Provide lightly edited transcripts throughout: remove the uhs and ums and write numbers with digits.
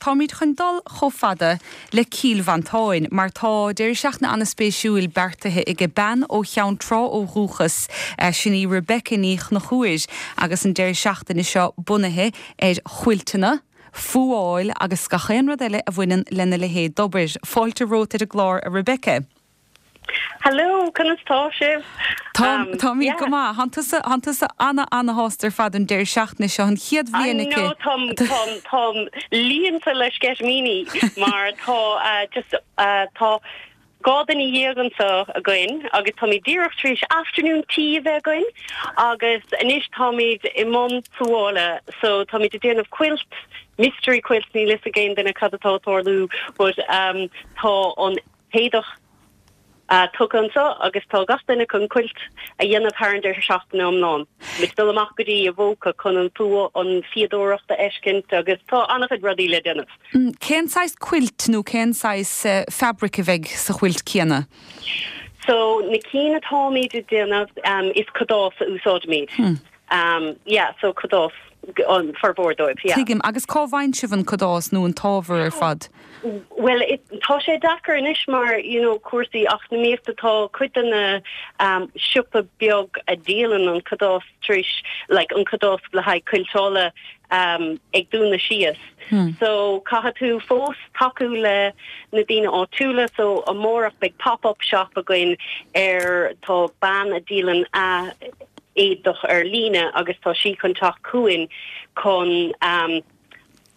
táimid chun dul chomh fada le Cill Mhantáin mar tá deireadh seachtaine an-spéisiúil beartaithe aige bean ó Cheann Trá ó dhúchas, sin í Rebecca Ní Chonchúir agus an deireadh seachtaine seo bunaithe ar chuilteanna, fuáil agus gach aon rud eile a bhaineann lena leithéid d'obair. Fáilte romhat ar an gclár a Rebecca. Hello, conas tá sibh? Tá, táimid go maith. Tánn tusa, tánn tusa ana, ana-shásta ar fad an deireadh seachtaine seo, an chéad bhliain aici. I know, táim, táim, táim líonta le sceitimíní mar tá just, tá 12 duine anseo againn agus táimid díreach tar éis afternoon tea a bheith againn agus anois táimid i mbun fuála so táimid ag déanamh quilt, mystery quilt, níl fhios ag aon duine cad atá ag tarlú but tá an t-éadach tugtha anseo agus tá gach duine chun quilt a dhéanamh thar an deireadh seachtaine iomlán. Muid ag dul amach go dtí Avoca chun an an fíodóireacht a fheiscint agus tá an-chuid rudaí le déanamh. Cén saghas quilt nó cén saghas fabric a bheidh sa chuilt céanna? So na cinn atáimid ag déanamh is cadás a úsáidimid. Yeah, so cadás an formhór dóibh, yeah. Tuigim. Agus cá bhfaigheann sibh an cadás nó an t-ábhar ar fad? Bhuel, tá sé deacair anois mar, you know, cúrsaí eacnamaíochta, tá cuid de na siopa beag a dhíolann an cadás tar éis, like, an cadás le haghaidh cuilteála ag dúnadh síos. So, caithfidh tú fós tacú le na daoine áitiúla, so amárach beidh pop-up shop againn ar, tá bean a dhíolann a éadach ar líne agus tá sí chun teacht chugainn chun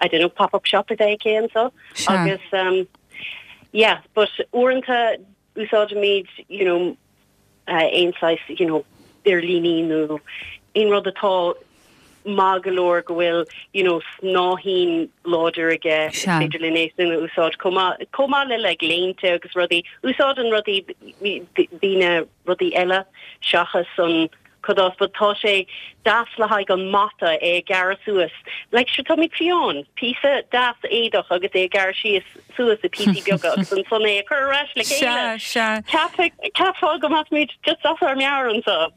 I don't know, pop-up shop a bheith aici anseo agus um, yeah, but uaireanta úsáidimid you know, uh, aon saghas you know, duirlíní nó aon rud atá maith go leor go bhfuil you know, snáithín láidir aige is féidir linn é sin a úsáid chomh maith chomh maith le like léinte agus rudaí úsáideann rudaí daoine rudaí eile seachas an cadás but tá sé deas le haghaidh an mata é a ghearradh suas like sure táimid fiáin píosa deas éadach agus é a ghearradh síos suas i píosaí beaga agus ansan é a chur ar ais le chéile. Sea, sea. Cheapfá go mbeadh muid just as ár meabhair anseo.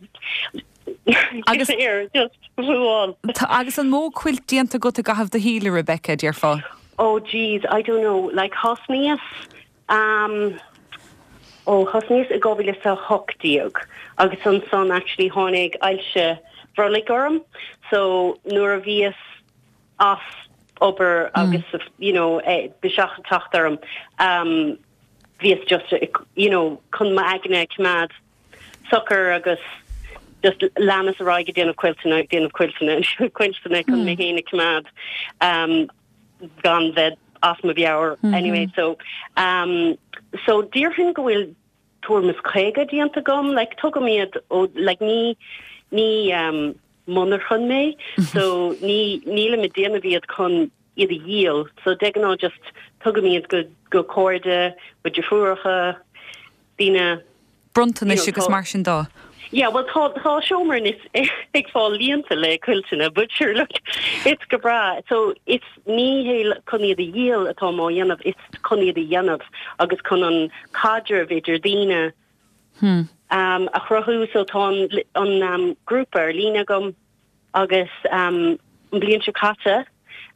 Agus just fuáil. Agus an mó quilt déanta agat i gcaitheamh do shaoil, a Rebecca, déarfá? Oh jeez, I don't know, like thosnaíos Um, ó, thosnaíos i 2018 agus ansan actually tháinig ailse bhrollaigh orm so nuair a bhíos as obair agus you know biseach ag teacht orm um, bhíos just you know chun m'aigne a choimeád socair agus just leanas ar aghaidh ag déanamh cuilteanna ag déanamh cuilteanna cuilteanna chun mé féin a choimeád um, gan bheith as mo mheabhair anyway so um so déarfainn go bhfuil tuairim is 50 déanta agam like tugaim iad ó like ní ní um monarchan mé so ní nílim ag déanamh iad chun iad a dhíol so de ghnáth just tugaim iad go go cairde mo deirfiúracha daoine bronntanais agus mar sin de. Yeah, well tá tá seomra anois ag fáil líonta le cuilteanna, but sure look, it's go breá. So it's ní hé chun iad a dhíol atáim á dhéanamh, it's chun iad a dhéanamh agus chun an caidreamh idir daoine um, a chruthú. So tá an, an um, grúpa ar líne agam agus um, an bliain seo caite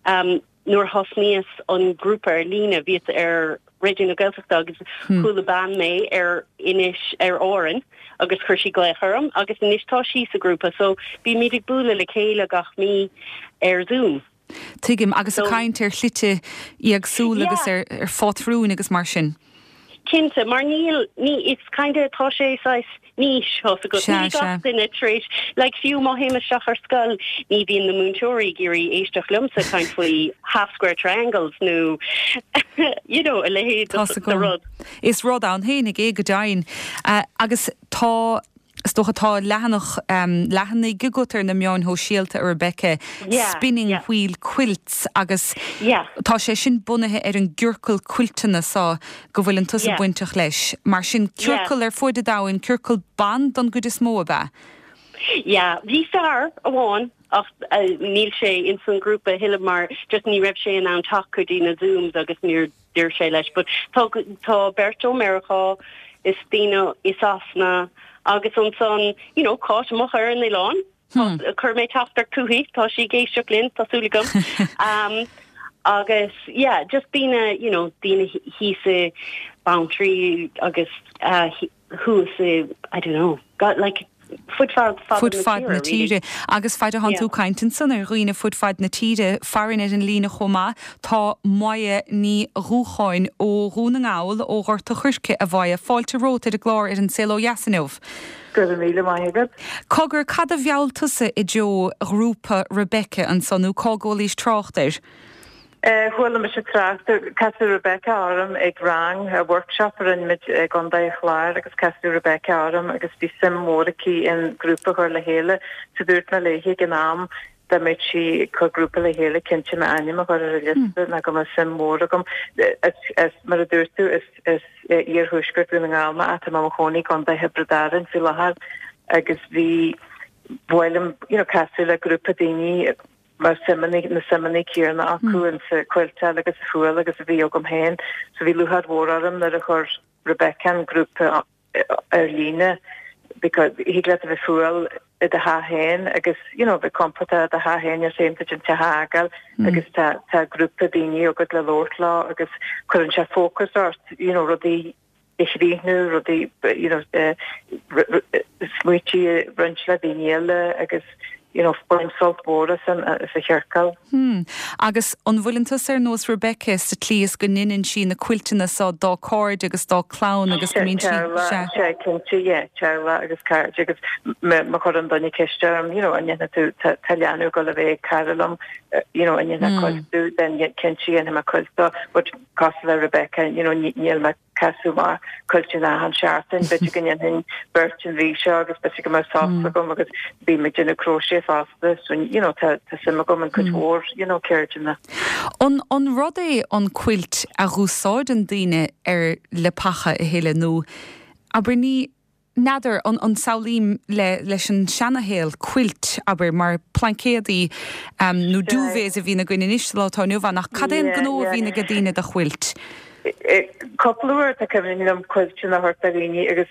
um, Nuair a thosnaíos an grúpa ar líne bhíos ar Raidió na Gaeltachta agus chuala bean mé ar Inis ar Árainn agus chuir sí glaoch orm agus anois tá sí sa ghrúpa so bímid ag bualadh le chéile gach mí ar Zoom. Tuigim. Agus ag caint ar shlite éagsúla agus ar phátrúin agus mar sin. Cinnte, mar níl, ní, it's kind of, tá sé saghas niche, tá's agat, níl gach duine tar éis, like fiú má théim isteach ar scoil, ní bhíonn na múinteoirí ag iarraidh éisteacht liomsa ag caint faoi half square triangles nó you know, a leithéid de rud. Is rud ann féinig é go deimhin. Agus tá. Is dócha tá leathanach, leathanaigh agat ar na meáin shóisialta, a Rebecca, Spinning Wheel Quilts agus tá sé sin bunaithe ar an gciorcal cuilteanna so go bhfuileann tusa bainteach leis. Mar sin, ciorcal ar fuaid an domhain, ciorcal ban don gcuid is mó, ab ea? Yeah, bhí fear amháin ach níl sé ins an grúpa a thuilleadh mar just ní raibh sé in ann teacht go dtí na Zooms agus níor d'oir sé leis. But tá tá beirt ó Meiriceá is daoine i Sasana agus ansan you know Cáit amuigh ar an oileán. Chuir mé teachtaireacht chuici, tá sí ag éisteacht linn, tá súil agam. Um, Agus yeah, just daoine, you know, daoine thíos i Beanntraí agus thuas i, I don't know, got like fud fad fud fad na tíre. Agus fad atánn tú ag caint ansan ar dhaoine fud fad na tíre, farainn ar an líne chomh maith tá Moya Ní Dhúcháin ó Dhún na nGall, ó Ghort a' Choirce, a Mhoya. Fáilte romhat ar an gclár ar An Saol Ó Dheas inniu. Go raibh míle maith agat. Cogar, cad a mheall tusa i dtreo ghrúpa Rebecca ansan, nó cá gcualaís trácht air? Chuala mise trácht, casadh Rebecca orm ag rang, workshop a rinne muid i gContae an Chláir agus casadh Rebecca orm agus bhí suim mhór aici in grúpa a chur le chéile so dúirt mé léi ag an am dá mbeadh sí ag cur grúpa le chéile cinnte m'ainm a chur ar an liosta nó go mbeadh suim mhór agam. Is mar a dúirt tú is is iarthuaisceart Dhún na nGall mé ach tá mé i mo chónaí i gContae Thiobraid Árann faoi láthair agus bhí ba mhaith liom you know casadh le grúpa daoine mar suimeanna, na suimeanna céanna acu in sa chuilteáil agus sa fuáil agus a bhí agam féin. So bhí lúcháir mhór orm nuair a chuir Rebecca an grúpa ar líne because thig leat a bheith fuáil i do theach féin agus you know bheith compordach i do theach féin níl féin duit an teach a fhágáil agus tá tá grúpa daoine agat le labhairt leo agus cuireann sé fócas ort you know rudaí a chríochnú, rudaí, you know, smaoití a roinnt le daoine eile agus, you know, bain sult mhór as an, as an chiorcal. Hmm. Agus an bhfuileann tusa ar nós Rebecca sa tslí is go ndeineann sí na cuilteanna so dá cairde agus dá clann agus go mbíonn sí, sea. Sea, cinnte, yeah, teaghlach agus cairde agus má chuireann duine ceist orm, you know, an ndéanfaidh tú, tá, tá leanbh ag dul a bheith ag cara liom, you know, an ndéanfaidh cuilt dó, then cinnte dhéanfaidh mé cuilt dó, but cosúil le Rebecca, you know, níl mé casadh amach cuilteanna achan seachtain, b'fhéidir go ndéanfainn beirt an mhí seo agus b'fhéidir go mbeadh sos agam agus bím ag déanamh crochet fosta so you know tá tá suim agam in cuid mhór you know ceirdeanna. An an rud é an quilt a dh'úsáideann daoine ar leapacha a thuilleadh nó abair ní N'fheadar, an an samhlaím le leis an seanashaol, quilt, abair, mar plaincéadaí nó duvets a bhíonn againn anois sa lá atá inniu ann, ach cad é an gnó a bhíonn ag daoine do chuilt? Cúpla uair tá cuimhin liom cuilteanna a thabhairt do dhaoine agus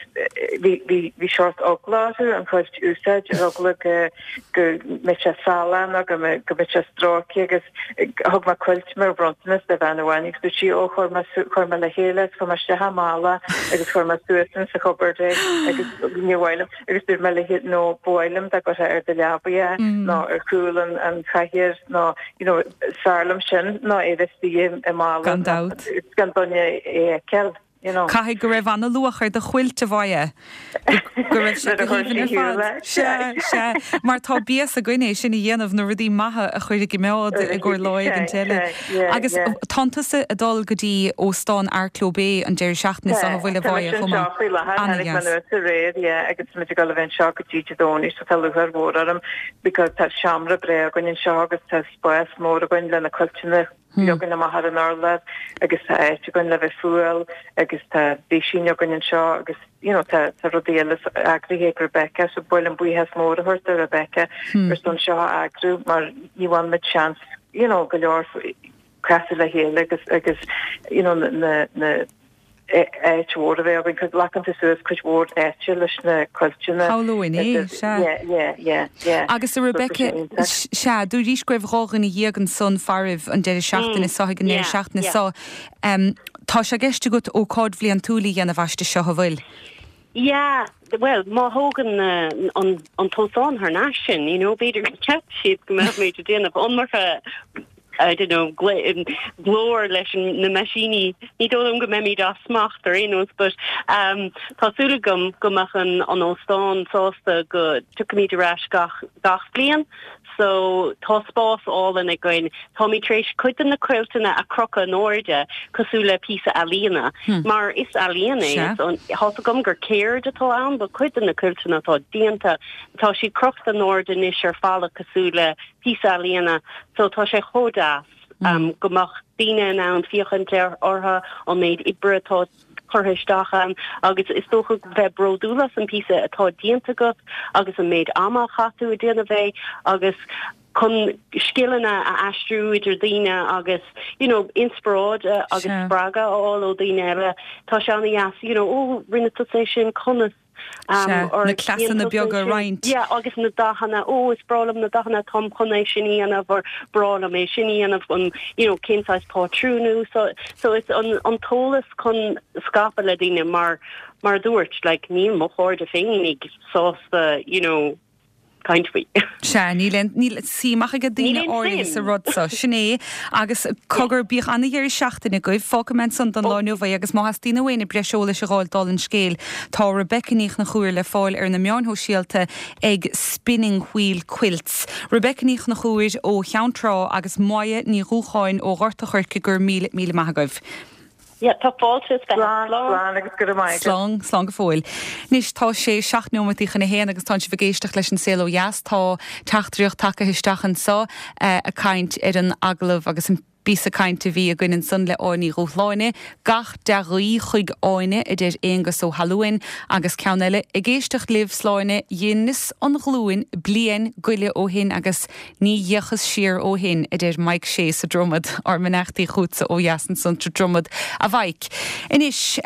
bhí bhí bhí seort eagla orthu an cuilt a úsáid, ar eagla go go mbeadh sé salach nó go mbeadh go mbeadh sé stróicthe agus thug mé cuilt mar bhronntanas do bhean amháin agus dúirt sí ó chuir mé chuir mé le chéile agus chuir mé isteach i mála agus chuir mé suas in sa chupboard é agus níor mhaith liom agus dúirt mé léi no ba mhaith liom dá gcuirfeá ar do leabaidh é nó ar chúl an an chathaoir nó you know is fearr liom sin ná é bheith istigh i mála Gan dabht. gan duine é a fheiceáil. You know. Caithfidh go raibh ana-luach ar do chuilt, a Mhoya. Go raibh sé go haoibhinn ar fad. Sea, sea. Mar tá béas againn é sin a dhéanamh, na rudaí maithe a chur i gcimeád i gcomhair lá éigint eile. Agus tánn tusa ag dul go dtí Óstán Arklow Bay an deireadh seachtaine seo, an bhfuil, a Mhoya, chomh maith? Tá mise anseo faoi láthair, tháinig mé anuas aréir, yeah, agus tá muid ag dul a bheith anseo go dtí Dé Domhnaigh so tá lúcháir mhór orm because tá seomra breá againn anseo agus tá spás mór againn le na cuilteanna leagan amach ar an urlár agus tá áit againn le bheith fuáil agus tá machine againn anseo agus you know tá tá rudaí eile eagraithe ag Rebecca so ba mhaith liom buíochas mór a thabhairt do Rebecca ar son seo a eagrú mar ní bhain muid seans you know go leor casadh le chéile agus agus you know na na áit mhór a bheith againn, cos glacann tú suas cuid mhór áite leis na cuilteanna. Shamhlóinn é, sea. Yeah, yeah, yeah, yeah. Agus a Rebecca, sea, dúraís go raibh 12 dhuine ansan faraibh an deireadh seachtaine seo, ag an deireadh seachtaine seo. Tá sé i gceist agat ócáid bhliantúil a dhéanamh aisti seo, an bhfuil? Yeah, bhuel, má thógann an an t-óstán thar n-ais sinn, you know, b'fhéidir go gceapfaidh siad go mbeadh muid ag déanamh iomarca, I don't know, glór leis na meaisíní. Ní dóigh liom go mbeimid as smacht ar aon nós, but um, tá súil agam go mbeadh an an óstán sásta go dtiocfaimid ar ais gach gach bliain. So tá spás álainn againn. Táimid tar éis cuid de na cuilteanna a chrochadh in airde cosúil le píosa ealaíona, mar is ealaíon é. Tá's agam gur ceird atá ann, but cuid de na cuilteanna atá déanta, tá siad crochta in airde anois ar falla cosúil le píosa ealaíona. So tá sé chomh deas go mbeadh daoine in ann féachaint orthu, an méid oibre atá curtha isteach ann agus is dócha bheith bródúil as an píosa atá déanta agat agus an méid ama a chaith tú ag déanamh é agus chun scileanna a aistriú idir daoine agus you know inspioráid agus spreagadh a fháil ó daoine eile. Tá sé an-deas you know ó rinne tusa é sin conas? Sea, na cleasanna beaga a roinnt. Yeah, agus na dathanna, ó is breá liom na dathanna, táim chun é sin a dhéanamh or breá liom é sin a dhéanamh, an, you know, cén saghas pátrún a úsáid. So it's an, an t-eolas chun scaipeadh le daoine mar, mar a dúirt, like, níl mo chairde féinig sásta, you know, caint faoi. Sea, níl aon, níl suim ach ag daoine áirithe sa rud so. Sin é. Agus cogar, bíodh ana-dheireadh seachtaine agaibh. Fágfaidh mé ansan don lá inniu é agus má theastaíonn ó éinne breis eolais a dh'fháil dála an scéil, tá Rebecca Ní Chonchúir le fáil ar na meáin shóisialta ag Spinning Wheel Quilts. Rebecca Ní Chonchúir ó Cheann Trá agus Moya Ní Dhúcháin ó Ghort a' Choirce, go raibh míle, míle maith agaibh. Yeah, tá fáilte is bheith. Slán, slán agus go raibh maith agat. Slán, slán go fóill. Anois tá sé 7 neomataí chun a haon agus tánn sibh ag éisteacht leis an Saol Ó Dheas. Tá teachtaireacht tagtha isteach anso ag caint ar an agallamh agus an píosa cainte a bhí againn ansan le Áine Ní Dhúshláine. Gach dea-ghuí chuig Áine, a deir Aonghus Ó hAlmhain. Agus ceann eile, ag éisteacht libh, Sláine, dheineas an ghlúin bliain goile ó shin agus Ní dheachas siar ó shin, a deir Mike Shea sa Dromad, ár mbeannachtaí chughatsa ó dheas ansan sa Dromad, a Mhaidhc. Anois.